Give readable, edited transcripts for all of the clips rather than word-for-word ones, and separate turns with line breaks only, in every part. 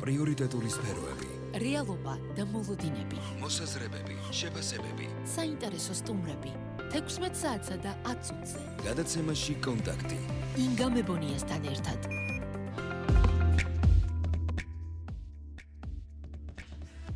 პრიორიტეტული სფეროები,
რეალობა და მოლოდინები,
მოსაზრებები, შეფასებები,
საინტერესო სტუმრები, 16 საათსა და 10 წუთზე.
გადაცემაში კონტაქტი.
ინგა მებონიასთან ერთად.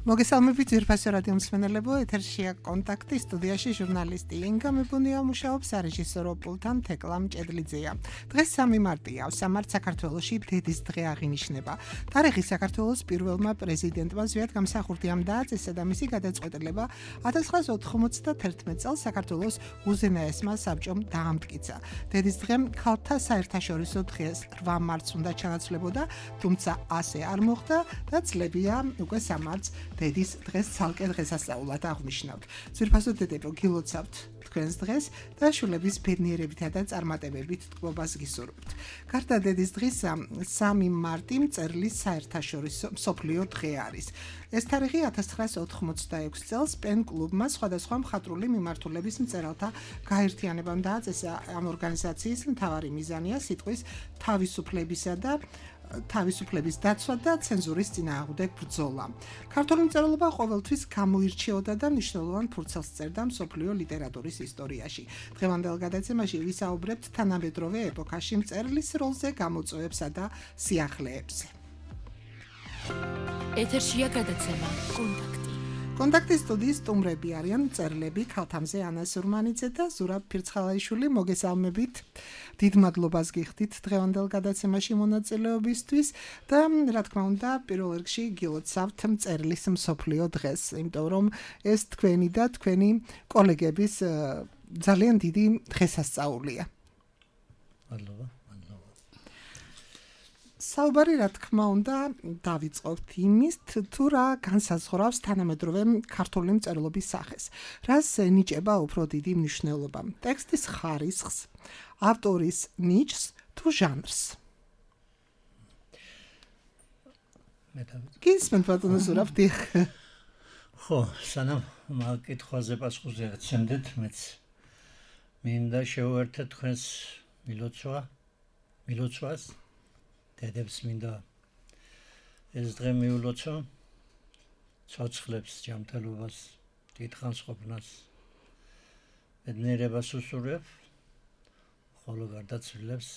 მოგესალმებით ძვირფასო რადიო მსმენელებო, ეთერშია კონტაქტი, სტუდიაში ჟურნალისტი ინგა მებონია მუშაობს სარეჟისორო პულტთან თეკლა მჭედლიძეა. დღეს 3 მარტია, სამართ საქართველოში დედის დღე აღინიშნება. თარიღი საქართველოს პირველმა პრეზიდენტმა ზვიად გამსახურდიამ დააწესა და მისი გადაწყვეტილება 1991 წელს საქართველოს უზენაესმა საბჭომ დაამტკიცა. დედის დღე ქალთა საერთაშორისო დღეს 8 მარტს უნდა ჩანაცვლებოდა, თუმცა ასე არ მოხდა და წლებია უკვე სამარტს დედის დღეს ცალკე დღესასწაულად აღნიშნავთ. ძვირფასო დედებო, გილოცავთ თქვენს დღეს და შვილების ბედნიერებითა და წარმატებებით თქმობას გისურვებთ. გარდა დედის დღისა, 3 მარტი მწერლის საერთაშორისო მსოფლიო დღე არის. ეს თარიღი 1986 წელს პენ კლუბმა სხვადასხვა მხატვრული მიმართულების მწერალთა გაერთიანებამ დააწესა. ამ ორგანიზაციის მთავარი მიზანია სიტყვის თავისუფლების დაცვა და ცენზურის წინააღმდეგ ბრძოლა. ქართული მწერლობა ყოველთვის გამოირჩეოდა და მნიშვნელოვან ფურცელს წერდა მსოფლიო ლიტერატურის ისტორიაში. დღევანდელ გადაცემაში ვისაუბრებთ თანამედროვე ეპოქაში მწერლის როლზე, გამოწვევებსა და სიახლეებზე.
ეთერშია გადაცემა კონტაქტი.
კონტაქტის სტუდიის სტუმრები არიან მწერლები ქალთამზე ანა სურმანიძე და ზურაბ ფირცხალაიშვილი. მოგესალმებით. დიდ მადლობას გიხდით დღევანდელ გადაცემაში მონაწილეობისთვის და რა თქმა უნდა პირველ რიგში გილოცავთ მწერლის მსოფლიო დღეს, იმიტომ რომ ეს თქვენი და თქვენი კოლეგების ძალიან დიდი დღესასწაულია.
მადლობა.
საუბარი რა თქმა უნდა დავიწყოთ იმის, თუ რა განსაზღვრავს თანამედროვე ქართული მწერლობის სახეს. რას ენიჭება უფრო დიდი მნიშვნელობა? ტექსტის ხარისხს, ავტორის ნიჭს თუ ჟანრს? გისმენთ ბატონო ზურაბ?
ხო, სანამ კითხვაზე პასუხს ეცემდეთ, მეც მინდა შევუერთდეთ თქვენს მილოცვას. დედებს მინდა ეს დღე მიულოცო, ცოცხლებს ჯანმრთელობას, დიდხანსყოფნას, ბედნიერებას უსურვებ, ხოლო გარდაცვლილებს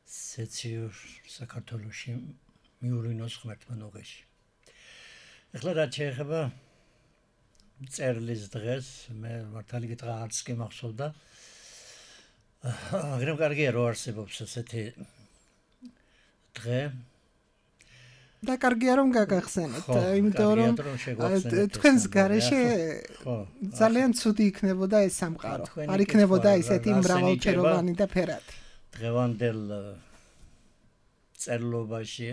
სეციურ საქართველოში მიურინოს ღმერთმა ნუღეში. ეხლა რაც შეეხება მწერლის დღეს, მე მართალი გითხრა არც კი მახსოვდა. მაგრამ კარგია რომ არსებობს ესეთი დღე
და კარგია რომ გაგახსენეთ, იმიტომ რომ თქვენს გარეშე ძალიან ცუდი იქნებოდა ეს სამყარო. არ იქნებოდა ისეთი მრავალფეროვანი და ფერადი.
დღევანდელ წერლობაში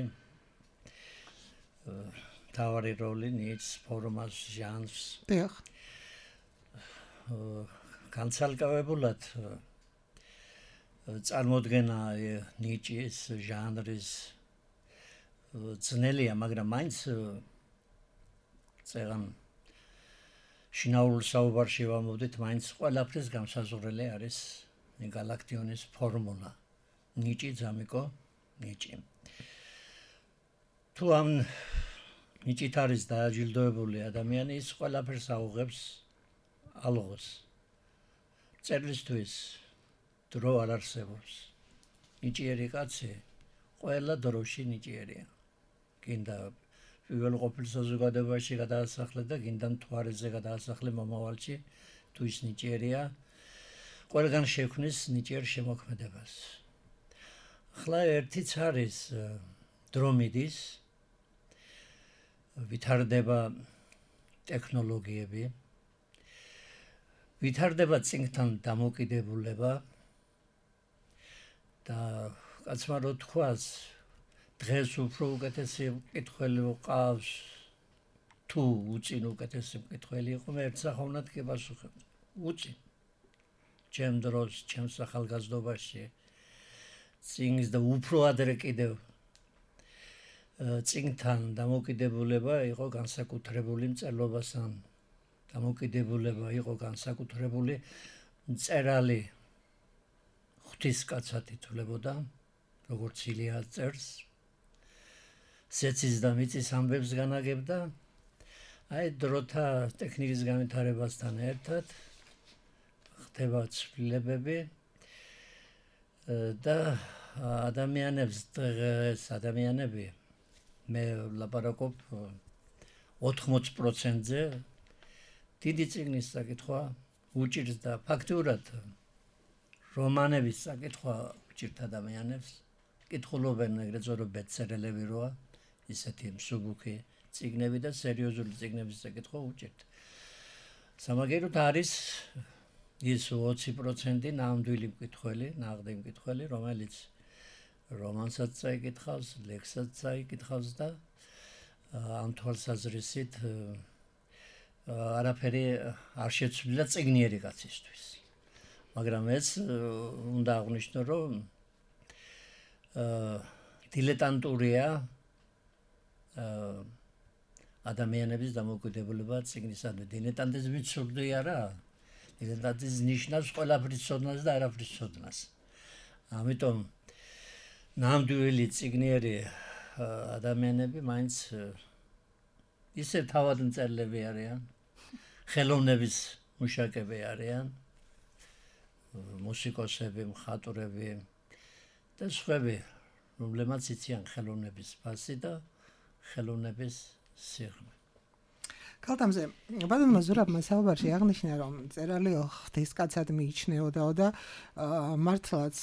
თავარი როლი ნიჭს, ფორმას, ჟანრს.
დიახ.
განცალკევებულად წარმოდგენა ნიჭის, ჟანრის ძნელია, მაგრამ მაინც წერან შინაურ საუბარში ვამოვდით, მაინც ყველაფრის გამსაზღვრელი არის გალაქტიონის ფორმულა. ნიჭი, ძამიკო, ნიჭი. თუ ამ ნიჭით არის დააჯილდოებული ადამიანი, ის ყველაფერს აუღებს ალღოს. წერლისთვის დრო არ არსებობს. ნიჭიერი კაცი ყველა დროში ნიჭიერია. გინდა პირველ ყოფილ საზოგადოებაში გადაასახლე და გინდა მთვარეზე გადაასახლე მომავალში, თუ ის ნიჭიერია, ყველგან შექმნის ნიჭიერ შემოქმედებას. ახლა ერთიც არის დრო მიდის, ვითარდება ტექნოლოგიები, ვითარდება წინგთან დამოკიდებულება და კაცმა რო თქვას, დღეს უფრო უკეთესი მკითხველი ვყავს, თუ უწინ უკეთესი მკითხველი იყო, მე ერთსახოვნად კი პასუხებ. უწინ. ჩემ დროს, ჩემ ახალგაზრდობაში წინგს და უფრო ადრე კიდევ წინგთან დამოკიდებულება იყო განსაკუთრებული მწერლობასთან. დამოკიდებულება იყო განსაკუთრებული მწერალი ღვთისკაცად ითვლებოდა, როგორც ილია წერს. სეცის და მიწის ამბებს განაგებდა. აი დროთა ტექნიკის განვითარებასთან ერთად ხდება ცვლილებები და ადამიანები მე ლაპარაკობ 80%-ზე დიდი წიგნის საკითხვა უჭირს და ფაქტურად რომანების საკითხვა უჭირთ ადამიანებს. კითხულობენ ეგრეთ წოდებული ბესტსელერები როა, ისეთი მსუბუქი წიგნები და სერიოზული წიგნების საკითხვა უჭირთ. სამაგეროდ არის ის 20% ნამდვილი მკითხველი, ნაღდი მკითხველი, რომელიც რომანსაც წაიკითხავს, ლექსსაც წაიკითხავს და ამ თვალსაზრისით არაფერი არ შეცვლილა წიგნიერი კაცისთვის. მაგრამ ეს უნდა აღვნიშნო, რომ დილეტანტურია ადამიანების დამოკიდებულება წიგნისადმი. დილეტანტიზმი ცუდი არა. დილეტანტიზმი ნიშნავს ყველაფრის ცოდნას და არაფრის ცოდნას. ამიტომ ნამდვილი წიგნიერი ადამიანები მაინც ისე თავად მწერლები არიან, ხელოვნების მუშაკები არიან, მუსიკოსები, მხატვრები და სხვები, რომლებმაც იციან ხელოვნების ფასი და ხელოვნების სიღრმე.
კალთამზე, ბატონმა ზურაბმა საუბარში აღნიშნა, რომ მწერალი ღვთისკაცად მიიჩნეოდა და მართლაც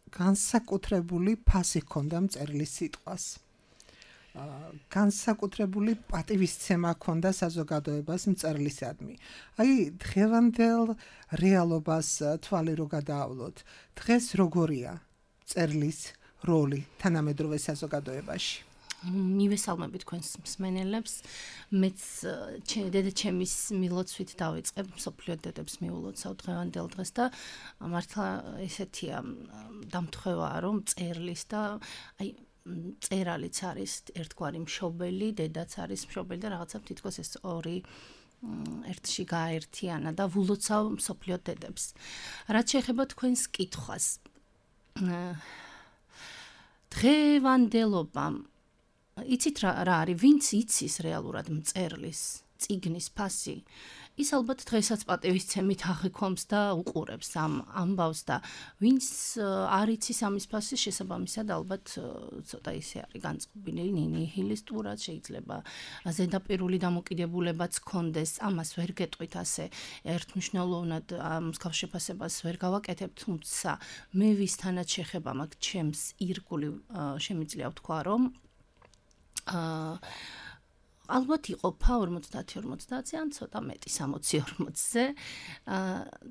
განსაკუთრებული ფასი ჰქონდა მწერლის სიტყვას. განსაკუთრებული პატივისცემა ჰქონდა საზოგადოებას მწერლისადმი. აი, დღევანდელ რეალობას თვალი რო გადაავლოთ, დღეს როგორია მწერლის როლი თანამედროვე საზოგადოებაში?
მივესალმები თქვენს მსმენელებს. მეც დედაჩემის მილოცვით დავიწყებ მსოფლიო დედებს მიულოცავ დღევანდელ დღეს და მართლა ესეთია დამთხევაა, რომ მწერლის და აი მწერალიც არის ერთგვარი მშობელი, დედაც არის მშობელი და რაღაცა თითქოს ეს ორი ერთში გააერთიანა და ვულოცავ მსოფლიო დედებს. რაც შეეხება თქვენს კითხვას. დღევანდელობამ იცით რა არის, ვინც იცის რეალურად მწერლის წიგნის ფასი, ის ალბათ დღესაც პატივისცემით აღიქვამს და უყურებს ამ ამბავს და ვინც არ იცის ამის ფასი, შესაბამისად ალბათ ცოტა ისე არის განწყობილი, ნიჰილისტურად, შეიძლება ზედაპირული დამოკიდებულებაც ჰქონდეს, ამას ვერ გეტყვით ასე ერთმნიშვნელოვნად მსგავს შეფასებას ვერ გავაკეთებ, თუმცა მე ვისთანაც შეხება მაქვს ჩემს ირგული შემიძლია ვთქვა, რომ ალბათ იყოფა 50-50-ზე ან ცოტა მეტი 60-40-ზე.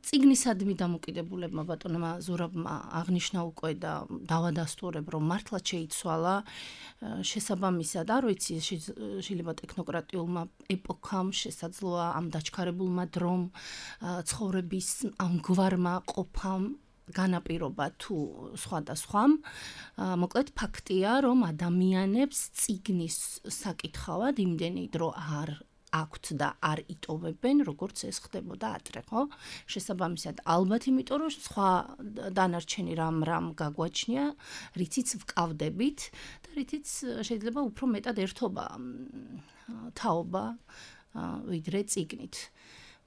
წიგნისადმი დამოკიდებულებმა ბატონმა ზურაბმა აღნიშნა უკვე და დავადასტურებ, რომ მართლა შეიცვალა შესაბამისად, არ ვიცი, შეიძლება ტექნოკრატიულმა ეპოქამ შესაძლოა ამ დაჩქარებულმა დრომ ცხოვრების ამგვარმა ყოფამ განაპირობა თუ სხვადასხვამ. მოკლედ ფაქტია, რომ ადამიანებს წიგნის საკითხავად იმდენი დრო არ აქვთ და არ იტოვებენ, როგორც ეს ხდებოდა ადრე, ხო? შესაბამისად, ალბათ იმიტომ, რომ სხვა დანარჩენი რამ გაგვაჩნია, რითიც ვკავდებით და რითიც შეიძლება უფრო მეტად ერთობა თაობა ვიდრე წიგნით.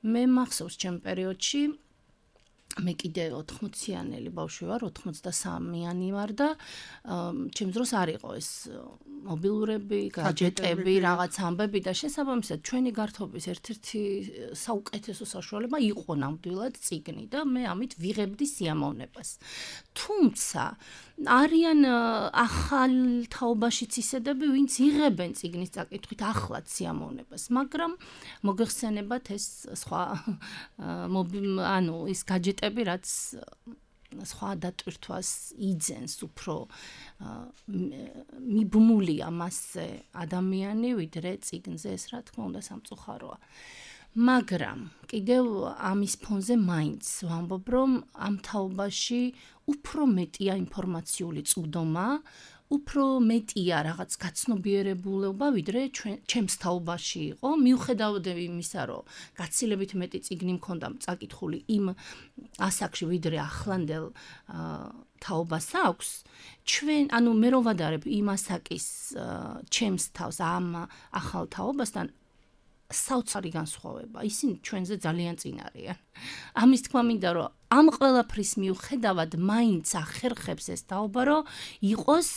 მე მახსოვს ჩემ პერიოდში მე კიდე 80-იანელი ბავშვი ვარ, 83-იანი ვარ და ჩემს დროს არ იყო ეს მობილურები, გაჯეტები, რაღაც ამბები და შესაბამისად ჩვენი გართობის ერთ-ერთი საუკეთესო საშუალება იყო ნამდვილად წიგნი და მე ამით ვიღებდი სიამოვნებას. თუმცა არიან ახალ თაობაშიც ისედები, ვინც იღებენ წიგნის წაკითხვით ახლად სიამოვნებას, მაგრამ მოგეხსენებათ ეს სხვა ის გაჯეტები, რაც სხვა დატვირთვას იძენს, უფრო მიბმულია მასზე ადამიანი, ვიდრე წიგნზე, ეს რა თქმა უნდა სამწუხაროა. მაგრამ კიდევ ამის ფონზე მაინც ვამბობ, რომ ამ თაობაში უფრო მეტია ინფორმაციული წვდომა, უფრო მეტია რაღაც გაცნობიერებულობა, ვიდრე ჩემს თაობაში იყო, მიუხედავად იმისა, რომ გაცილებით მეტი წიგნი მქონდა წაკითხული იმ ასაკში, ვიდრე ახლანდელ თაობას აქვს, ანუ მე რო ვადარებ იმ ასაკის ჩემს თავს ამ ახალ თაობასთან საოცარი განსხვავება. ისინი ჩვენზე ძალიან წინ არიან. ამის თქმა მინდა, რომ ამ ყველაფრის მიუხედავად მაინც ახერხებს ეს თაობა, რომ იყოს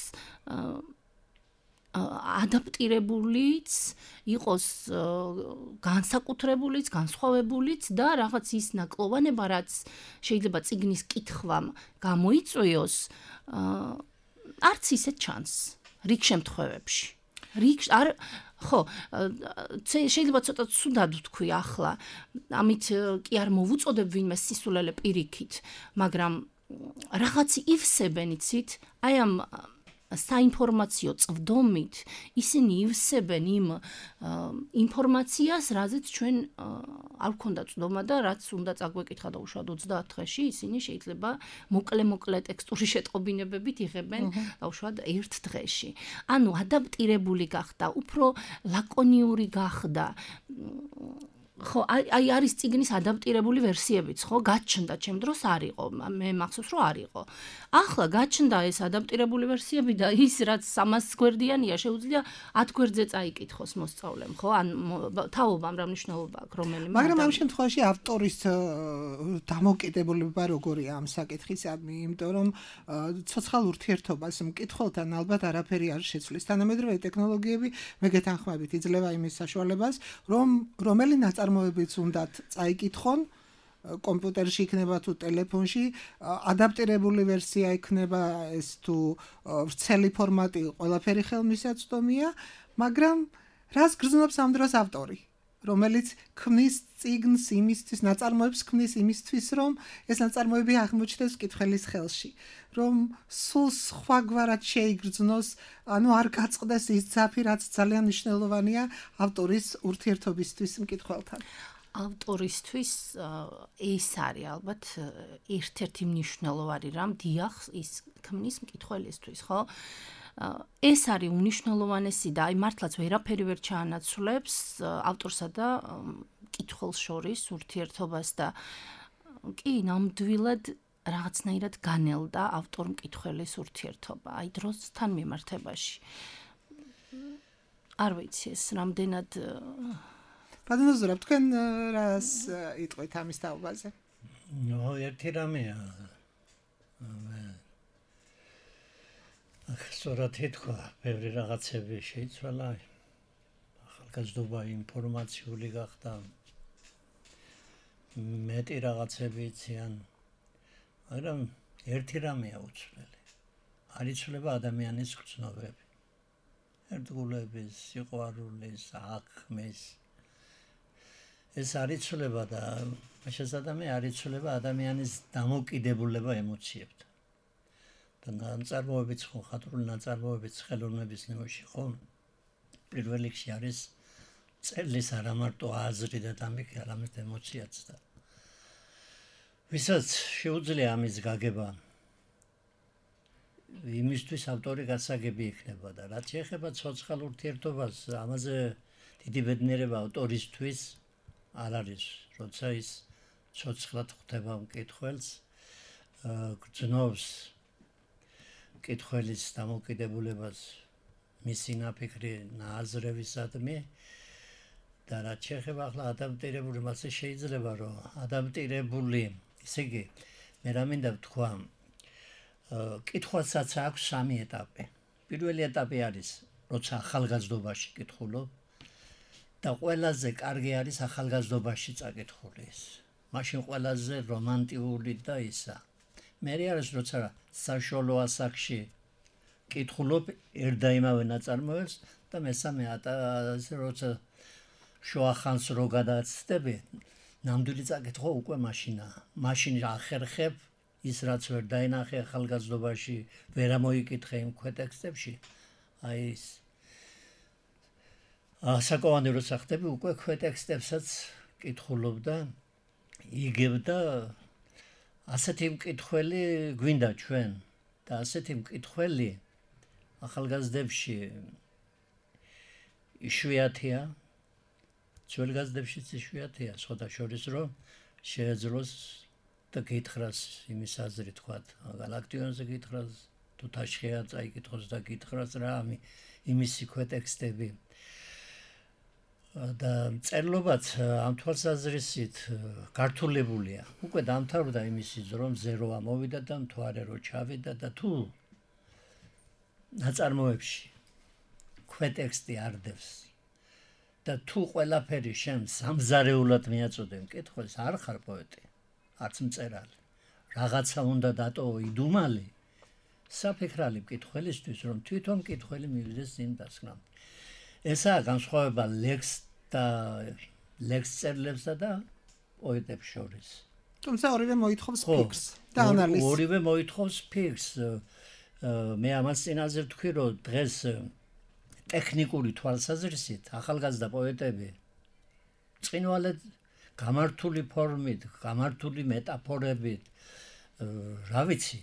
ადაპტირებულიც, იყოს განსაკუთრებულიც, განსხვავებულიც და რაღაც ის ნაკლოვანება, რაც შეიძლება წიგნის კითხვამ გამოიწვიოს, არც ისე ჩანს რიგ შემთხვევებში. ხო, შეიძლება ცოტა ცუდად ვთქვი ახლა, ამით კი არ მოვუწოდებ ვინმე სისულელე პირიქით, მაგრამ რაღაცი ივსებენ იცით, აი ამ საინფორმაციო წვდომით ისინი ივსებენ იმ ინფორმაციას, რაზეც ჩვენ არ გვქონდა წვდომა და რაც უნდა წაგვეკითხა და უშუალოდ 30 დღეში ისინი შეიძლება მოკლე ტექსტური შეტყობინებებით იღებენ და უშუალოდ 1 დღეში. ანუ ადაპტირებული გახდა, უფრო ლაკონიური გახდა. ხო, აი არის წიგნის ადაპტირებული ვერსიებიც, ხო, გაჩნდა, ჩემ დროს არ იყო, მე მახსოვს რომ არ იყო. ახლა გაჩნდა ეს ადაპტირებული ვერსიები და ის რაც 300 გვერდიანია, შეუძლია 10 გვერდზე წაიკითხოს მოსწავლემ, ხო? ან თაობამ რა მნიშვნელობა აქვს რომელიმე.
მაგრამ ამ შემთხვევაში ავტორის დამოკიდებულება როგორია ამ საკითხისადმი, იმიტომ რომ ცოცხალ ურთიერთობას მკითხველთან ალბათ არაფერი არ შეცვლის. თანამედროვე ტექნოლოგიები მე გეთანხმებით იძლევა იმის საშუალებას, რომ რომელი ნაწარმოებიც უნდათ წაიკითხონ, კომპიუტერში იქნება თუ ტელეფონში, ადაპტირებული ვერსია იქნება ეს თუ ვრცელი ფორმატი, ყველაფერი ხელმისაწვდომია, მაგრამ რას გრძნობს ამ დროს ავტორი, რომელიც ქმნის წიგნს იმისთვის, ნაწარმოებს ქმნის იმისთვის, რომ ეს ნაწარმოები აღმოჩნდეს მკითხველის ხელში, რომ სულ სხვაგვარად შეიგრძნოს, ანუ არ გაწყდეს ის ძაფი, რაც ძალიან მნიშვნელოვანია ავტორის ურთიერთობისთვის მკითხველთან.
ავტორისთვის ეს არის ალბათ ერთ-ერთი მნიშვნელოვანი რამ, დიახ, ის ქმნის მკითხველისთვის, ხო? ეს არის უნიშნელოვანესი და აი მართლაც ვერაფერი ვერ ჩაანაცვლებს ავტორსა და მკითხველს შორის ურთიერთობას და კი ნამდვილად რაღაცნაირად განელდა ავტორ-მკითხველის ურთიერთობა, აი დროსთან მიმართებაში. არ ვიცი ეს რამდენად
ბატონო, თქვენ რას იტყვით ამის თაობაზე?
ერთი რამეა. სწორად ითქვა, ბევრი რაღაცები შეიცვალა. ახალგაზრდობა ინფორმაციული გახდა. მეტი რაღაცები იციან. მაგრამ ერთი რამეა უცვლელი. არ იცვლება ადამიანის გრძნობები. ერთგულების, სიყვარულის, აღქმის. ეს არ იცვლება და შესაძლოა არ იცვლება ადამიანის დამოკიდებულება ემოციებთან. და ნაწარმოებიც ხო, ხატრული ნაწარმოებიც ხელოვნების ნიმუში ხო, პირველ რიგში არის წერლის არა მარტო აზრი და დამიკი, არამედ ემოციაც და ვისაც შეუძლია ამის გაგება, იმისთვის ავტორი გასაგები იქნება და რაც შეეხება ცოცხალ ურთიერთობას, ამაზე დიდი ბედნიერება ავტორისთვის არ არის, როცა ის ცოცხლად ხვდება მკითხველს, გრძნობს მკითხველის დამოკიდებულებას მისი ნაფიქრი აზრებისადმი და რაც შეეხება ახლა ადაპტირებული, მასე შეიძლება რომ ადაპტირებული, ესე იგი, მე რა მინდა ვთქვა, კითხვასაც აქვს 3 ეტაპი. პირველი ეტაპი არის, როცა ახალგაზრდობაში კითხულობ და ყველაზე კარგი არის ახალგაზრდობაში წაკითხული ის. მაშინ ყველაზე რომანტიკული და ისა. მერე არის, როცა საშუალო ასაკში კითხულობ ერთ და იმავე ნაწარმოებს და მესამე ეტაპი, როცა შუა ხანს რო გადაცდები, ნამდვილი წაკითხვა უკვე მაშინაა. მაშინ ახერხებ ის რაც ვერ დაინახე ახალგაზრდობაში, ვერ ამოიკითხე იმ ქვეტექსტებში, აი ის საკოვანი როცა ხდები, უკვე ქვეტექსტებსაც კითხულობ და იგებ და ასეთი მკითხველი გვინდა ჩვენ და ასეთი მკითხველი ახალგაზრდებში იშვიათია, ძველგაზრდებშიც იშვიათია, სხვათა შორის რომ შეეძლოს და გითხრას იმის აზრი თქვათ, გალაქტიონზე გითხრას, თუ თაშხია წაიკითხოს და გითხრას რა იმისი ქვეტექსტები. და წერლობაც ამ თვალსაზრისით გართულებულია. უკვე დამთავრდა იმისი რომ ზერო ამოვიდა და მთვარე რო ჩავიდა და თუ ნაწარმოებში ქვეტექსტი არდევს და თუ ყველაფერი შენ სამზარეულად მიაწოდე მკითხველს, არ ხარ პოეტი, არც მწერალი. რაღაცა უნდა დატოვო იდუმალი საფიქრალი მკითხველისთვის, რომ თვითონ მკითხველი მივიდეს იმ დასკვნამდე. ესაა განსხვავება ლექს წერლებსა და პოეტებს შორის.
თუმცა ორივე მოითხოვს ფიქრს და ანალიზს.
ორივე მოითხოვს ფიქრს. მე ამას წინაზე ვთქვი, რომ დღეს ტექნიკური თვალსაზრისით ახალგაზრდა პოეტები წინვალედ გამართული ფორმით, გამართული მეტაფორებით, რა ვიცი,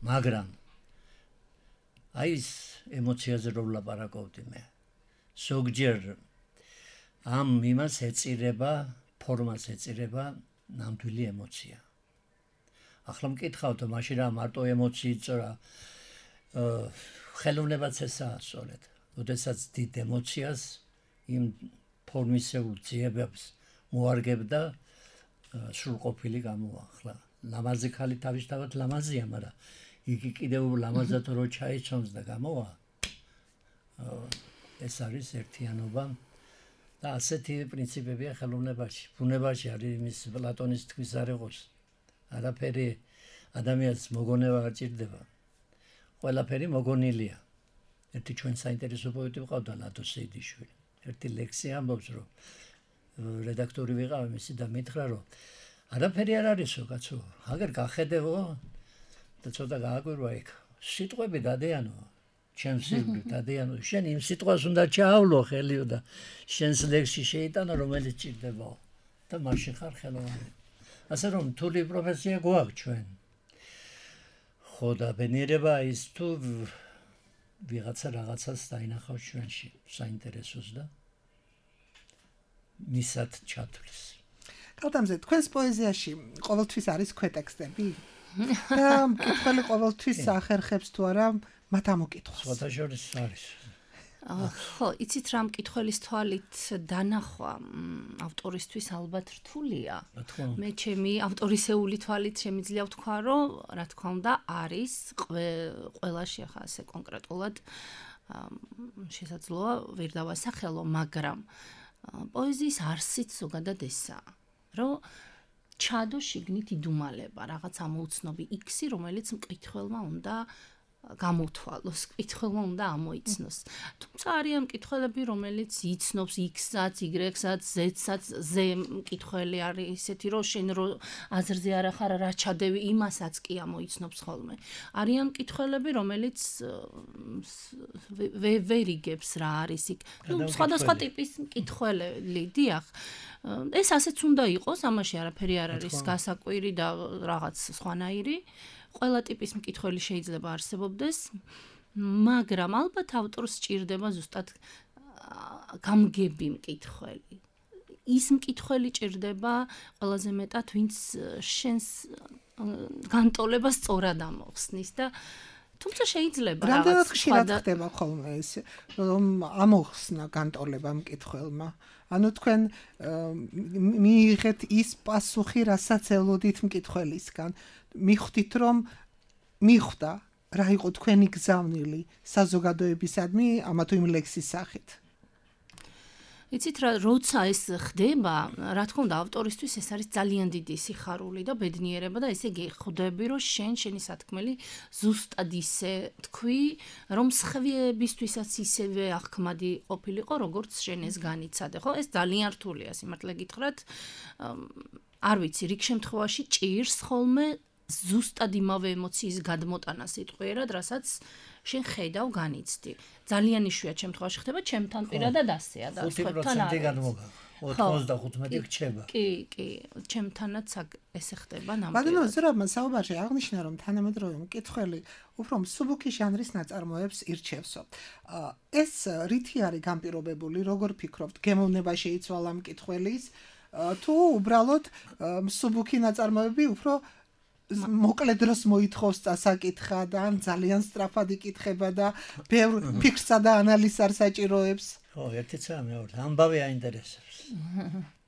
მაგრამ აი ეს ემოციაზე რო ვლაპარაკობდი მე. ზოგჯერ ამ იმას ეწირება, ფორმას ეწირება ნამდვილი ემოცია. ახლა მკითხავთ, მაშინ რა მარტო ემოციით წორა ხელოვნებაც ესაა სწორედ. როდესაც დიდ ემოციას იმ ფორმისეულ ძიებებს მოარგებდა სრულყოფილი გამოახლა. ლამაზი ხალი თავისთავად ლამაზია, მაგრამ იგი კიდევ ლამაზად რო ჩაიცვამს და გამოვა. ეს არის ერთიანობა და ასეთი პრინციპებია ხელოვნებაში. ბუნებაში არის იმის პლატონის თქვის არ იყოს. არაფერი ადამიანს მოგონება არ ჭირდება. ყველაფერი მოგონილია. ერთი ჩვენ საინტერესო პოეტი ვყავდა ლადო სეიდიშვილი. ერთი ლექსი ამბობს, რომ რედაქტორი ვიყავ მისი და მითხრა, რომ არაფერი არ არისო, კაცო, აგერ გახედევო და ცოტა გააკვირვა იქ. სიტყვები დადიანო, ჩემს სიკვდილით დადიანო, შენ იმ სიტყვას უნდა ჩაავლო ხელიო და შენს ლექსში შეიტანო, რომელიც ჭირდებაო და მაშინ ხარ ხელოვანი. ასე რომ თული პროფესია გვაქვს ჩვენ. ხო და ბენიერება ის თუ რაღაცას დაინახავს ჩვენში საინტერესოს და მისად ჩათვლის.
კალთამზე, თქვენს პოეზიაში ყოველთვის არის ქვეტექსტები? და მკითხველი ყოველთვის ახერხებს თუ არა მათ ამოკითხვას?
სხვათა შორის არის.
ხო, იცით რა მკითხველის თვალით დანახვა ავტორისთვის ალბათ რთულია. მე ჩემი ავტორისეული თვალით შემიძლია ვთქვა, რომ რა თქმა უნდა არის ყველაში ახლა ასე კონკრეტულად შესაძლოა ვერ დავასახელო, მაგრამ პოეზიის არსიც ზოგადად ესაა, რომ ჩადო შიგნით იდუმალება, რაღაც ამოუცნობი X-ი, რომელიც მკითხველმა უნდა გამოთვალოს, მკითხველმა უნდა ამოიცნოს. თუმცა არიან მკითხველები, რომელიც იცნობს X-საც, Y-საც, Z-საც, Z მკითხველი არის ისეთი, რომ შენ რო აზრზე არ ახარ რა ჩადევი, იმასაც კი ამოიცნობს ხოლმე. არიან მკითხველები, რომელიც ვერ იგებს რა არის იქ. სხვადასხვა ტიპის მკითხველები, დიახ. ეს ასეც უნდა იყოს, ამაში არაფერი არ არის გასაკვირი და რაღაც სხვანაირი. ყველა ტიპის მკითხველი შეიძლება არსებობდეს, მაგრამ ალბათ ავტორს სჭირდება ზუსტად გამგები მკითხველი. ის მკითხველი ჭირდება ყველაზე მეტად, ვინც შენს განტოლებას სწორად ამოხსნის და თუმცა შეიძლება
რამდენად ხშირად ხდება ხოლმე ეს, რომ ამოხსნა განტოლება მკითხველმა? ანუ თქვენ მიიღეთ ის პასუხი, რასაც ელოდით მკითხველისგან. მიხვდით, რომ მიხვდა რა იყო თქვენი გზავნილი საზოგადოებისადმი ამა თუ იმ ლექსის სახით.
იცით რა, როცა ეს ხდება, რა თქმა უნდა, ავტორისთვის ეს არის ძალიან დიდი სიხარული და ბედნიერება და ესე გეხვდები, რომ შენი სათქმელი ზუსტად ისე თქვი, რომ სხვებისთვისაც ისევე აღქმადი ყოფილიყო, როგორც შენ ეს განიცადე. ხო, ეს ძალიან რთულია, სიმართლე გითხრათ. არ ვიცი, რიგ შემთხვევაში ჭირს ხოლმე ზუსტად იმავე ემოციის გადმოტანა სიტყვიერად, რასაც შენ ხედავ განიცდი. ძალიან იშვიათ შემთხვევაში ხდება, ჩემთან პირადად ასეა და სხვებთან არ.
95 რჩება.
კი, ჩემთანაც ესე ხდება ნამდვილად.
მაგრამ ზურაბმა საუბარში აღნიშნა, რომ თანამედროვე მკითხველი უფრო მსუბუქი ჟანრის ნაწარმოებს ირჩევსო. ეს რითი არის განპირობებული, როგორ ფიქრობთ, გემოვნება შეიცვალა მკითხველის, თუ უბრალოდ მსუბუქი ნაწარმოები უფრო მოკლე დროს მოითხოვს წასაკითხა და ან ძალიან სწრაფად იკითხება და ბევრ ფიქრსა და ანალიზს არ საჭიროებს.
ხო, ერთიცა მეორე, ამბავი აინტერესებს.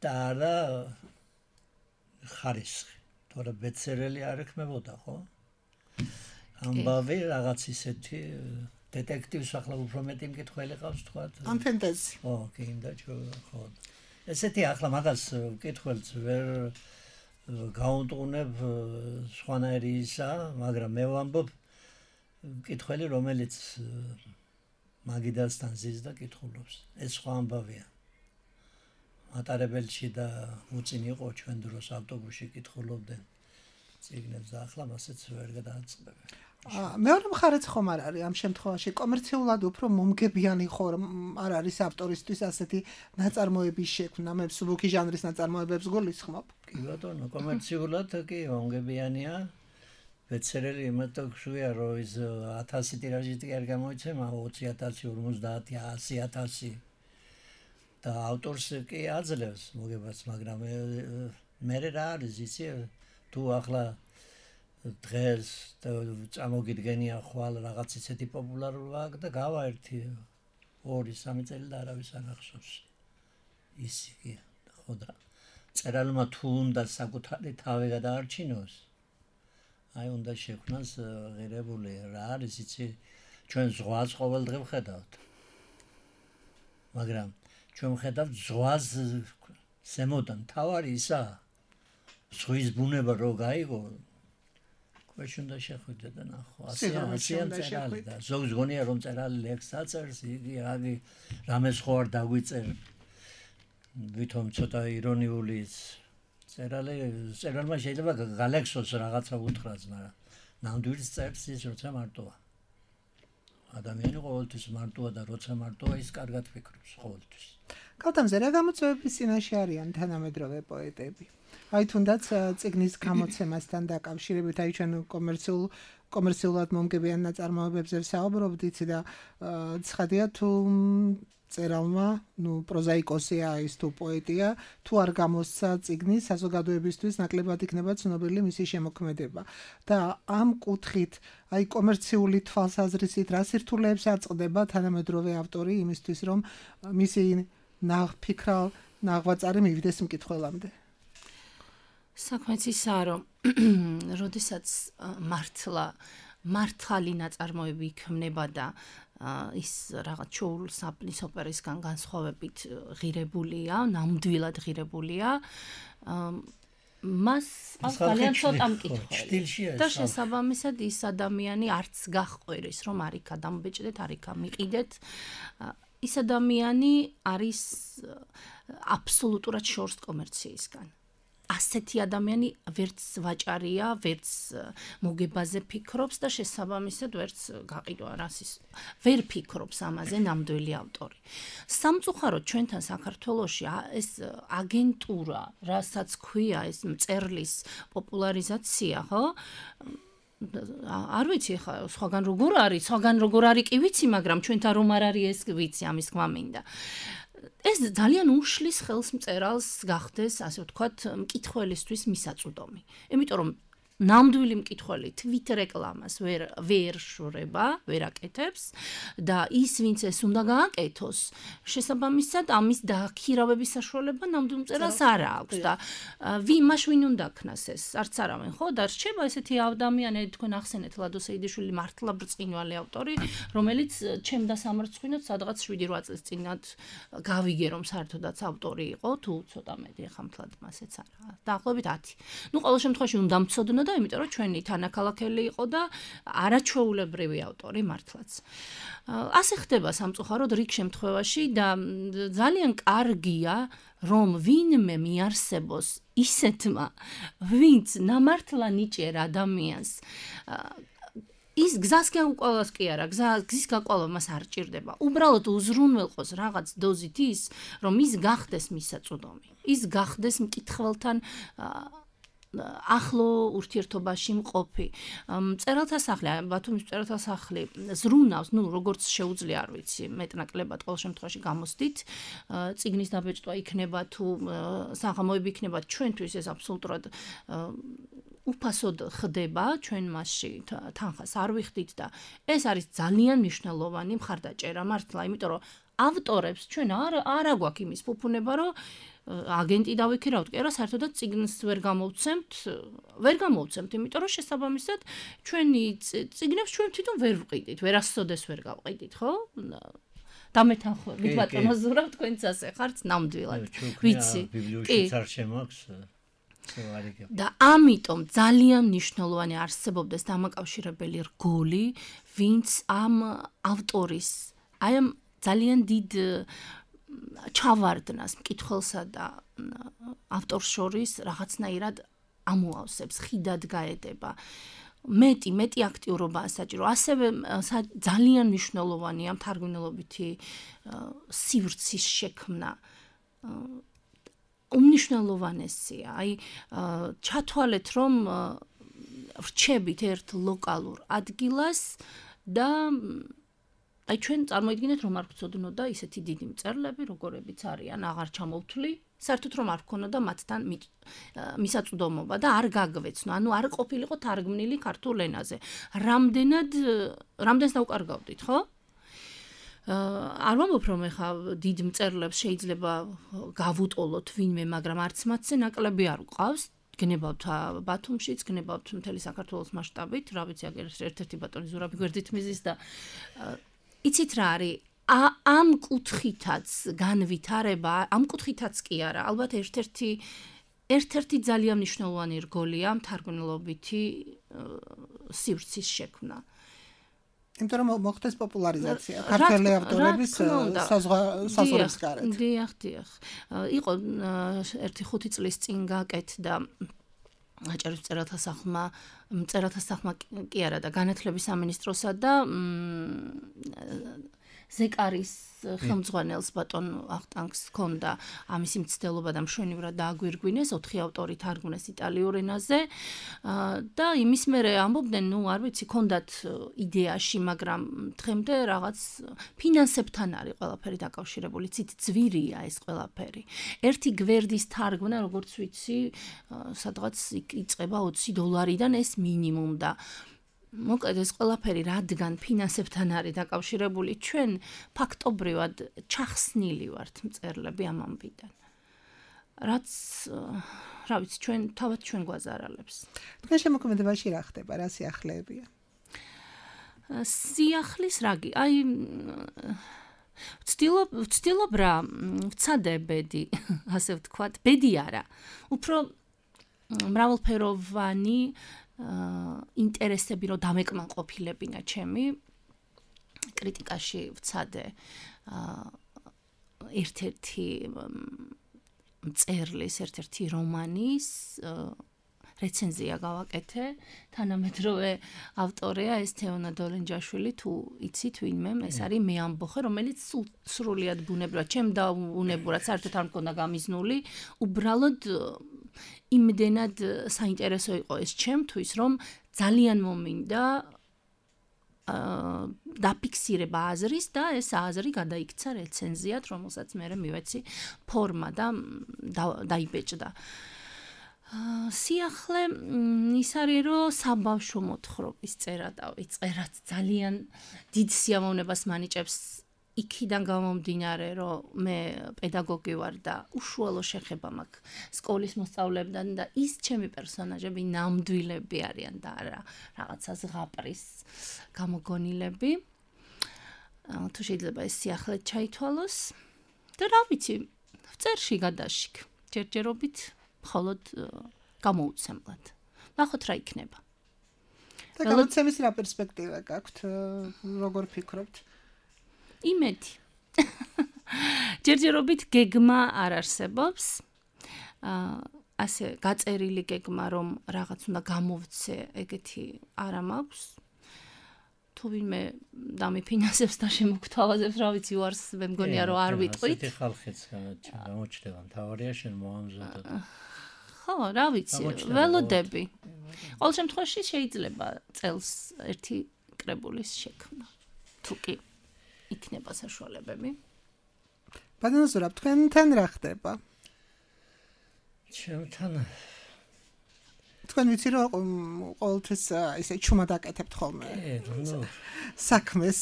და არა ხარისხი, თორემ ბესტსელერი არ ექმებოდა, ხო? ამბავი რაღაც ისეთი დეტექტივს ახლა უფრო მეტი მკითხველი ყავს თქვა.
ან ფენტეზი.
ხო, კიდე ხო. ესეთი ახლა მაგას მკითხველს ვერ გაუნტუნებ სხვანაირი ისა, მაგრამ მე ვამბობ მკითხველი, რომელიც მაგიდასთან ზის და კითხულობს. ეს სხვა ამბავია. მატარებელში და უწინ იყო ჩვენ დროს ავტობუსში კითხულობდნენ წიგნებს და ახლა მასეც ვერ გადააწყდებენ.
მეორე მხარეც ხომ არ არის ამ შემთხვევაში კომერციულად უფრო მომგებიანი ხო არ არის ავტორისთვის ასეთი ნაწარმოების შექმნა, მე მსუბუქი ჟანრის ნაწარმოებებს გულისხმობ.
კი ბატონო, კომერციულად კი მომგებიანია. ბესტსელერი იმათო ხვია, რომ ის 1000 ტირაჟით არ გამოიცემა, 20,000, 50,000, 100,000 და ავტორს კი აძლევს მოგებას, მაგრამ მე რა არის იცი, თუ ახლა დღეს წამოგიდგენია ხვალ რაღაც ისეთი პოპულარობა და გავა 1-2-3 წელი და არავის არ ახსოვს. ისი კი ხო და წერალმა თუ უნდა საკუთარი თავი გადაარჩინოს, აი უნდა შექმნას ღირებული რა არის იცი, ჩვენ ზღვას ყოველდღე ვხედავთ. მაგრამ ჩვენ ვხედავთ ზღვას ზემოდან, თავარი ისა ზღვის ბუნება რო გაიგო ქვეშ უნდა შეხვიდე და ნახო. ასეა წერალი და ზოგს გონია რომ წერალი ლექსს აწერს, იგი აგი რამეს ხო არ დაგვიწერ. ვითომ ცოტა ირონიული წერალმა შეიძლება გალექსოს რაღაცა უთხრას, მაგრამ ნამდვილს წერს ის როცა მარტოა. ადამიანი ყოველთვის მარტოა და როცა მარტოა ის კარგად ფიქრობს ყოველთვის.
კალთამზე რა გამოწვევების წინაშე არიან თანამედროვე პოეტები? აი თუნდაც წიგნის გამოცემასთან დაკავშირებით, აი ჩვენ კომერციულად მომგებიან ნაწარმოებებზე ვსაუბრობდით და ცხადია თუ წერალმა, პროზაიკოსია ის თუ პოეტია, თუ არ გამოსცა წიგნი საზოგადოებისთვის ნაკლებად იქნება ცნობილი მისი შემოქმედება. და ამ კუთხით, აი კომერციული თვალსაზრისით რა სირთულეებს აწყდება თანამედროვე ავტორი იმისთვის, რომ მისი ნაღფიქრალ ნაღვაწარი მივიდეს მკითხველამდე?
საქმეც ისაა, რომ როდესაც მართალი ნაწარმოები იქმნება და ის რაღაც ჩოულ საპნის ოპერისგან განსხვავებით ღირებულია, ნამდვილად ღირებულია, მას ძალიან ცოტა მკითხველი და შესაბამისად ის ადამიანი არც გახყვერის, რომ არიქა დამბეჭდეთ, არიქა მიყიდეთ. ის ადამიანი არის აბსოლუტურად შორს კომერციისგან. ასეთი ადამიანი ვერც ვაჭარია, ვერც მოგებაზე ფიქრობს და შესაბამისად ვერც გაყიდვა რასის ვერ ფიქრობს ამაზე ნამდვილი ავტორი. სამწუხაროდ ჩვენთან საქართველოში ეს აგენტურა, რასაც ქვია ეს მწერლის პოპულარიზაცია, ხო? არ ვიცი ხა სხვაგან როგორ არის კი ვიცი, მაგრამ ჩვენთან რომ არ არის ეს ვიცი, ამის თქმა მინდა. ეს ძალიან უშლის ხელს მწერალს გახდეს, ასე ვთქვათ, მკითხველისთვის მისაწვდომი. იმიტომ რომ ნამდვილი მკითხველი თვით რეკლამას ვერ შურება, ვერ აკეთებს და ის ვინც ეს უნდა გააკეთოს, შესაბამისად ამის დაქირავების საშუალება ნამდვილ მწერალს არ აქვს და მაშ ვინ უნდა ქნას ეს? არც არავინ, ხო? და რჩება ესეთი ადამიანები, თქვენ ახსენეთ ლადო სეიდიშვილი მართლა ბრწყინვალე ავტორი, რომელიც ჩემ დასამარცხინოთ სადღაც 7-8 წლის წინათ გავიგე რომ საერთოდაც ავტორი იყო, თუ ცოტა მეტი ახლა მთლად მასეც არა. დაახლოებით 10. ყოველ შემთხვევაში უნდა მცოდნო და იმიტომ რომ ჩვენი თანაქალაქელი იყო და არაჩვეულებრივი ავტორი მართლაც. ასე ხდება სამწუხაროდ რიგ შემთხვევაში და ძალიან კარგია რომ ვინმე მიარსებოს ისეთმა, ვინც ნამართლა ნიჭიერ ადამიანს ის გზას გაუყოლოს კი არა, გზის გაყოლვა მას არ ჭირდება. უბრალოდ უზრუნველყოს რაღაც დოზით ის, რომ ის გახდეს მისაწვდომი. ის გახდეს მკითხველთან ახლო ურთიერთობაში მყოფი. მწერალთა სახლი, ბათუმის მწერალთა სახლი ზრუნავს, როგორც შეუძლია, არ ვიცი, მეტნაკლებად ყოველ შემთხვევაში გამოსდით. წიგნის დაბეჭდვა იქნება თუ საღამოები იქნება, ჩვენთვის ეს აბსოლუტურად უფასოდ ხდება, ჩვენ მასში თანხას არ ვიხდით და ეს არის ძალიან მნიშვნელოვანი მხარდაჭერა მართლა, იმიტომ რომ ავტორებს ჩვენ არ აგვაქვს იმის ფუფუნება, რომ აგენტი დავიქირავთ, კი არა, საერთოდაც წიგნს ვერ გამოვცემთ, იმიტომ რომ შესაბამისად ჩვენი წიგნებს ჩვენ თვითონ ვერ ვყიდით, ვერასოდეს ვერ გავყიდით, ხო? დამეთანხმებით ბატონო ზურაბ, თქვენც ასე ხართ ნამდვილად. ვიცი.
ბიბლიოთეკაში არ შემოაქვს
და ამიტომ ძალიან მნიშვნელოვანი არსებობდეს დამაკავშირებელი რგოლი, ვინც ამ ავტორის, აი ამ ძალიან დიდ ჩავარდნას მკითხველსა და ავტორს შორის რაღაცნაირად ამოავსებს, ხიდად გაედება. მეტი აქტიურობაა საჭირო. ასევე ძალიან მნიშვნელოვანია მთარგმნელობითი სივრცის შექმნა. უმნიშვნელოვანესია. აი ჩათვალეთ, რომ ვრჩებით ერთ ლოკალურ ადგილას და აი ჩვენ წარმოიდგინეთ, რომ არ გვწოდნოდა ისეთი დიდი მწერლები, როგორებიც არიან, აღარ ჩამოვთვლი, საერთოდ რომ არ გქონოდა მათთან მისაწვდომობა და არ გაგვეცნო, ანუ არ ყოფილიყო თარგმნილი ქართულ ენაზე. რამდენს დავკარგავდით, ხო? არ ვამბობ, რომ ეხა დიდ მწერლებს შეიძლება გავუტოლოთ ვინმე, მაგრამ არც მათზე ნაკლები არ გვყავს. გნებავთ ბათუმშიც, გნებავთ მთელი საქართველოს მასშტაბით, რა ვიცი, აგერ ერთ-ერთი ბატონი ზურაბი გვერდით მიზის და იცით რა არის? ამ კუთხითაც განვითარება, ამ კუთხითაც კი არა, ალბათ ერთ-ერთი ძალიან მნიშვნელოვანი რგოლია მთარგმნელობითი სივრცის შექმნა.
იმიტომ რომ მოხდეს პოპულარიზაცია ქართველი ავტორების საზღვრების გარეთ.
დიახ. იყო ერთი 5 წლის წინ გაკეთდა აჭარის მწერალთა სახლმა კი არა და განათლების სამინისტროსა და ზეკარის ხელმძღვანელს ბატონ ახტანგს ჰქონდა ამისი მცდელობა და მშვენივრად დააგვირგვინეს 4 ავტორი თარგმნეს იტალიურ ენაზე და იმის მერე ამბობდნენ, არ ვიცი, ჰქონდათ იდეაში, მაგრამ დღემდე რაღაც ფინანსებთან არის ყველაფერი დაკავშირებული, ცით ძვირია ეს ყველაფერი. ერთი გვერდის თარგმნა, როგორც ვიცი, სადღაც იწყება $20-დან ეს მინიმუმ და მოკლედ ეს ყველაფერი რადგან ფინანსებთან არის დაკავშირებული, ჩვენ ფაქტობრივად ჩახსნილი ვართ მწერლები ამ ამბიდან. რაც რა ვიცი, თავად ჩვენ გვაზარალებს.
თქვენ შემოქმედებაში რა ხდება, რა სიახლეებია?
სიახლის რაგი, აი ვცდილობ რა, ვცადე ბედი, ასე ვთქვათ, ბედი არა. უფრო მრავალფეროვანი ინტერესები რომ დამეკმაყოფილებინა ჩემი კრიტიკაში ვცადე ერთ-ერთი მწერლის, ერთ-ერთი რომანის რეცენზია გავაკეთე, თანამედროვე ავტორია ეს თეონა დოლენჯაშვილი, თუ იცით ვინმე, ეს არის მე ამბოხე, რომელიც სრულიად ბუნებრივად, ჩემ დაუნებურად საერთოდ არ მქონდა გამიზნული, უბრალოდ იმდენად საინტერესო იყო ეს ჩემთვის, რომ ძალიან მომინდა დაფიქსირება აზრის და ეს აზრი გადაიქცა რეცენზიად, რომელსაც მე მივეცი ფორმა და დაიბეჭდა. სიახლე ის არის, რომ საბავშვო მოთხრობის წერა დავიწერათ, ძალიან დიდ სიამოვნებას მანიჭებს იქიდან გამომდინარე, რომ მე პედაგოგი ვარ და უშუალო შეხება მაქვს სკოლის მოსწავლეებთან და ის ჩემი პერსონაჟები ნამდვილები არიან და არა რაღაცა ზღაპრის გამოგონილები. თუ შეიძლება ეს სიახლე ჩაითვალოს და რა ვიცი, წერში გადაშიქ, ჯერჯერობით მხოლოდ გამოუცემლად. ნახოთ რა იქნება.
და გამოცემის რა პერსპექტივა გაქვთ, როგორ ფიქრობთ?
იმედი. ჯერჯერობით გეგმა არ არსებობს. ასე გაწერილი გეგმა, რომ რაღაც უნდა გამოვცე, ეგეთი არა მაქვს. თუ ვინმე დამიფინანსებს და შემოგთავაზებს, რა ვიცი, უარს მე მგონია რომ არ ვიტყვით.
ასეთი ხალხიც გამოჩნდება, მთავარია შენ მოამზადოთ.
ხო, რა ვიცი, ველოდები. ყოველ შემთხვევაში შეიძლება წელს ერთი კრებულის შექმნა. თუ კი იქნება საშუალებები.
ბატონო ზურაბ, თქვენთან რა ხდება?
ჩემთან
თქვენ ვიცი რომ ყოველთვის ესე ჩუმად აკეთებთ ხოლმე. საქმეს.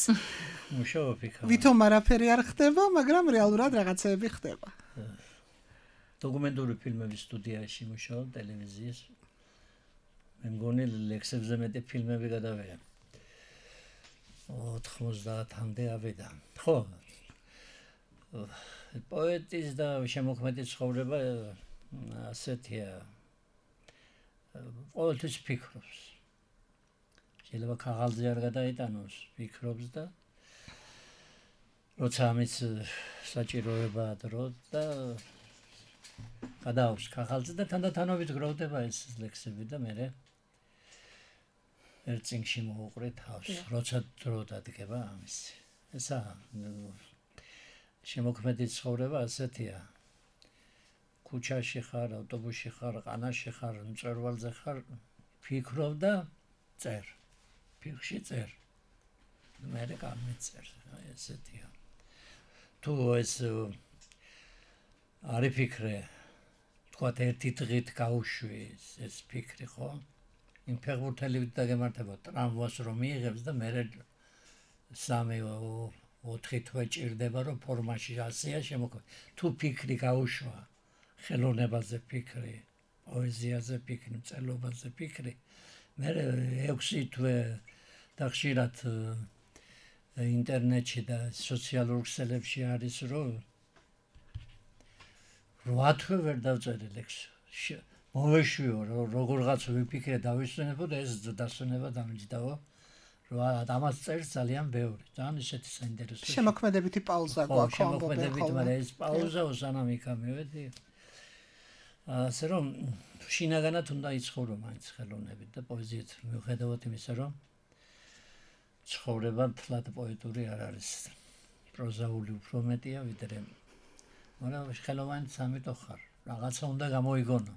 მუშაობ იქ.
ვითომ არაფერი არ ხდება, მაგრამ რეალურად რაღაცეები ხდება.
დოკუმენტური ფილმების სტუდიაში მუშაობ ტელევიზიის. მე მგონი ლექსებზე მეტი ფილმები გადავიღე. 90-მდე ავიდა. ხო. პოეტის და შემოქმედის ცხოვრება ასეთია. ყოველთვის ფიქრობს. შეიძლება ქაღალდზე არ გადაიტანოს, ფიქრობს და როცა ამის საჭიროება დრო და გადააქვს ქაღალდზე და თანდათანობით გროვდება ეს ლექსები და მე ერთ წინში მოუყრე თავს, როცა დრო დადგება ამის. ესა შემოქმედის ცხოვრება ასეთია. ქუჩაში ხარ, ავტობუსში ხარ, ყანაში ხარ, მწვერვალზე ხარ, ფიქრობ და წერ. ფიქრში წერ. მე გამიწერ, ესეთია. თუ ეს არ იფიქრე, თქვათ ერთი დღით გაუშვი ეს ფიქრი, ხო? იმ ფეხბურთელივით დაგემართება ტრამვას რომ მიიღებს და მე 3-4 თვე ჭირდება რომ ფორმაში ასეა შემოქმედი. თუ ფიქრი გაუშვა, ხელოვნებაზე ფიქრი, პოეზიაზე ფიქრი, მწერლობაზე ფიქრი, მე 6 თვე და ხშირად ინტერნეტში და სოციალურ ქსელებში არის რომ 8 თვე ვერ დავწერე ლექსი. მოვეშვიო როგორღაც ვიფიქრე დავისვენებო და ეს დასვენება დამიჯდაო. რომ ამას წერს ძალიან ბევრი. ძალიან ისეთი საინტერესო.
შემოქმედებითი პაუზა გვაქვს.
შემოქმედებით, მაგრამ ეს პაუზა სანამ იქა მივედი. ასე რომ შინაგანად უნდა იცხოვრო მაინც ხელოვნებით და პოეზიით მიუხედავად იმისა, რომ ცხოვრება თლად პოეტური არ არის. პროზაული უფრო მეტია ვიდრე. მაგრამ ხელოვანი სამიტო ხარ. რაღაცა უნდა გამოიგონო.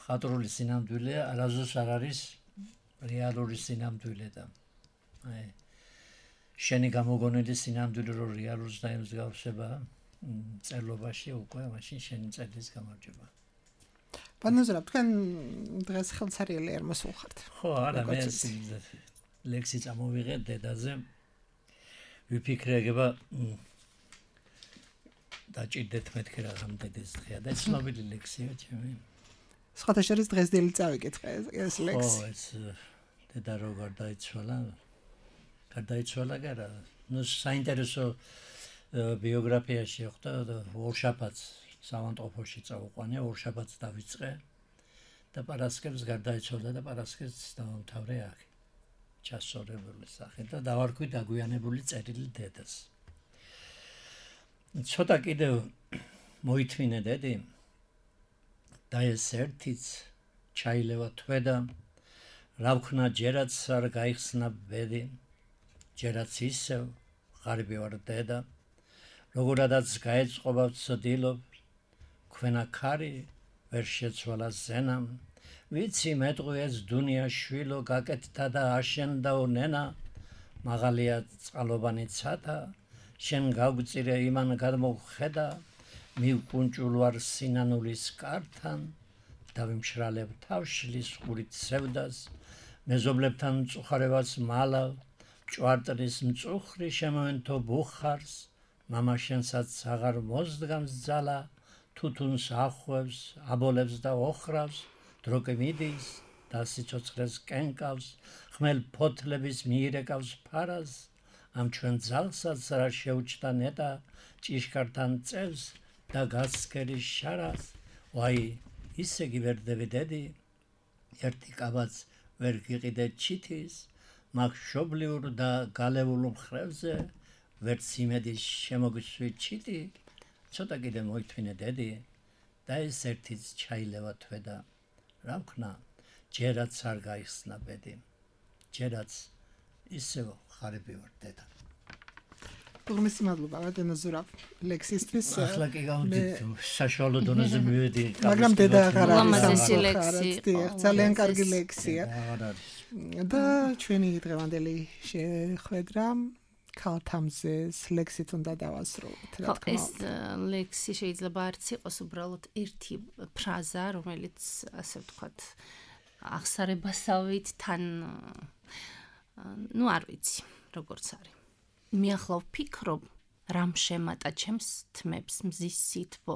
ხატრული სინამდვილე არასდროს არ არის რეალური სინამდვილე და აი შენი გამოგონილი სინამდვილე რო რეალურს დაემსგავსება წერლობაში უკვე მაშინ შენი წერლის გამარჯვება.
ბატონო ზურაბ, თქვენ დღეს ხელსარიელი არ მოსულხართ.
ხო, არა, მე ლექსი წამოვიღე დედაზე. ვიფიქრე ეგება დაჭირდეთ მეთქე რაღაც დედეს დღეა და ცნობილი ლექსია ჩემი.
სხვათა შორის დღეს დილით წავიკითხე ეს ლექსი.
ხო, ეს დედა რო გარდაიცვალა. გარდაიცვალა გარა. ნუ საინტერესო ბიოგრაფიაში ხვდა და ორშაბათს სამონტოფოში წავყვანე, ორშაბათს დავიწყე და პარასკევს გარდაიცვალა და პარასკევს დავამთავრე აქ. ჩასწორებული სახე და დავარქვი დაგვიანებული წერილი დედას. ცოტა კიდევ მოითმინე დედი და ეს ერთიც ჩაილევა თვედა რა ვქნა ჯერაც არ გაიხსნა ბედი ჯერაც ისევ ღარიბი ვარ დედა როგორადაც გაეწყობა ვცდილობ ქვენა ქარი ვერ შეცვალა ზენამ ვიცი მეტყვი ეს დუნია შვილო გაკეთდა და აშენდაო ნენა მაღალია წყალობანი ცათა შენ გავგწირე იმან გადმოხედა მივკუნჭულ ვარ სინანულის კართან და ვიმშრალებ თავშლის ყურით სევდას მეზობლებთან მწუხარებას მალავ ჭვარტრის მწუხრი შემოენთო ბუხარს მამა შენსაც აღარ მოსდგამს ძალა თუთუნს ახვევს აბოლებს და ოხრავს დროკი მიდის და სიცოცხლეს კენკავს ხმელ ფოთლების მიირეკავს ფარას ამ ჩვენ ძალსაც რა შეუჩდა ნეტა ჭიშკართან წევს და გასკერის შარას ვაი ისე გივერდები დედი ერთი კაბაც ვერ გიყიდე ჩითის მაგ შობლიურ და გალეულ მხრევზე ვერც იმედის შემოგისვი ჩიტი ცოტა კიდე მოითმინე დედი და ეს ერთიც ჩაილევა თვედა რა ვქნა ჯერაც არ გაიხსნა ბედი ჯერაც ისევ ხარები ვარ დედა.
უღმესი მადლობა ბატონო ზურაბ ლექსისთვის.
ახლა კი გავდით საშუალო დონეზე მივედი.
მაგრამ დედა აღარ არის
ლამაზესი ლექსი.
ძალიან კარგი ლექსია.
აღარ არის.
და ჩვენი დღევანდელი შეხვედრა ქალთამზეს ლექსით უნდა დავასრულოთ, რა თქმა
ეს
უნდა.
ლექსი შეიძლება არც იყოს უბრალოდ ერთი ფრაზა, რომელიც ასე ვთქვათ, აღსარებასავით თან არ ვიცი, როგორც არის. მე ახლა ვფიქრობ, რამ შემატა ჩემს თმებს მზის სითბო,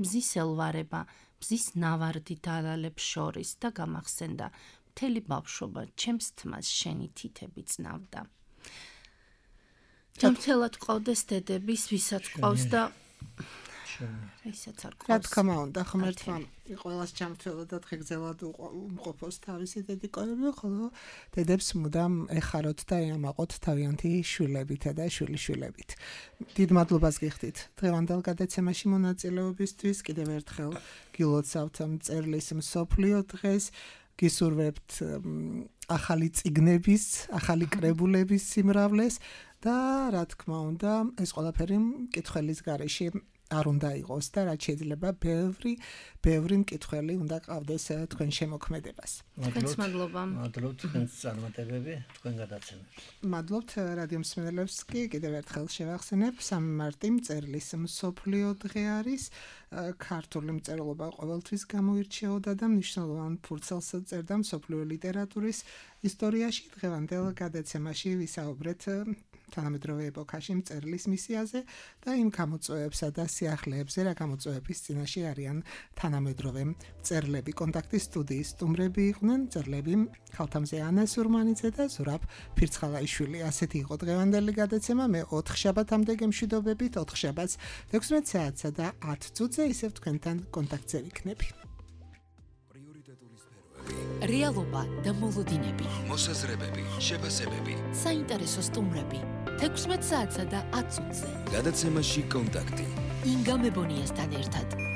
მზის ელვარება, მზის ნავარდი დალალებს შორის და გამახსენდა მთელი ბავშვობა ჩემს თმას შენი თითები წნავდა. ჯამთელად ყავდეს დედების, ვისაც ყავს და ისაც არ
რა
ყავს.
თქმა უნდა, ღმერთმა ყველას ჯამთველად და დღეგრძელად უმყოფოს თავისი დედიკოები, ხოლო დედებს მუდამ ეხაროთ და ეამაყოთ თავიანთი შვილებითა და შვილიშვილებით. დიდ მადლობას გიხდით დღევანდელ გადაცემაში მონაწილეობისთვის. კიდევ ერთხელ გილოცავთ მწერლის მსოფლიო დღეს. გისურვებთ ახალი წიგნების, ახალი კრებულების სიმრავლეს და რა თქმა უნდა, ეს ყველაფერი მკითხველის გარეშე არ უნდა იყოს და რაც შეიძლება ბევრი მკითხველი უნდა ყავდეს თქვენ შემოქმედებას.
თქვენს მადლობა.
მადლობთ თქვენს წარმატებები, თქვენ გადაცემებს.
მადლობთ რადიო მსმენელებს კი კიდევ ერთხელ შევახსენებ 3 მარტი მწერლის მსოფლიო დღე არის. ქართული მწერლობა ყოველთვის გამოირჩეოდა და მნიშვნელოვან ფურცელს წერდა მსოფლიო ლიტერატურის ისტორიაში. დღევანდელ გადაცემაში ვისაუბრეთ თანამედროვე ეპოქაში მწერლის მისიაზე და იმ გამოწვევებსა და სიახლეებზე, რა გამოწვევების წინაშე არიან თანამედროვე მწერლები. კონტაქტის სტუდიის სტუმრები იყვნენ მწერლები ქალთამზე ანა სურმანიძე და ზურაბ ფირცხალაიშვილი. ასეთი იყო დღევანდელი გადაცემა. მე 4 შაბათამდე გემშვიდობებით, 4 შაბათს 16 საათსა და 10 წუთზე ისევ თქვენთან კონტაქტზე ვიქნები.
პრიორიტეტული სფეროები,
რეალობა და მოლოდინები,
მოსაზრებები, შეფასებები.
საინტერესო სტუმრები 16 საათსა და 10 წუთზე.
გადაცემაში კონტაქტი.
ინგა მებონიასთან ერთად.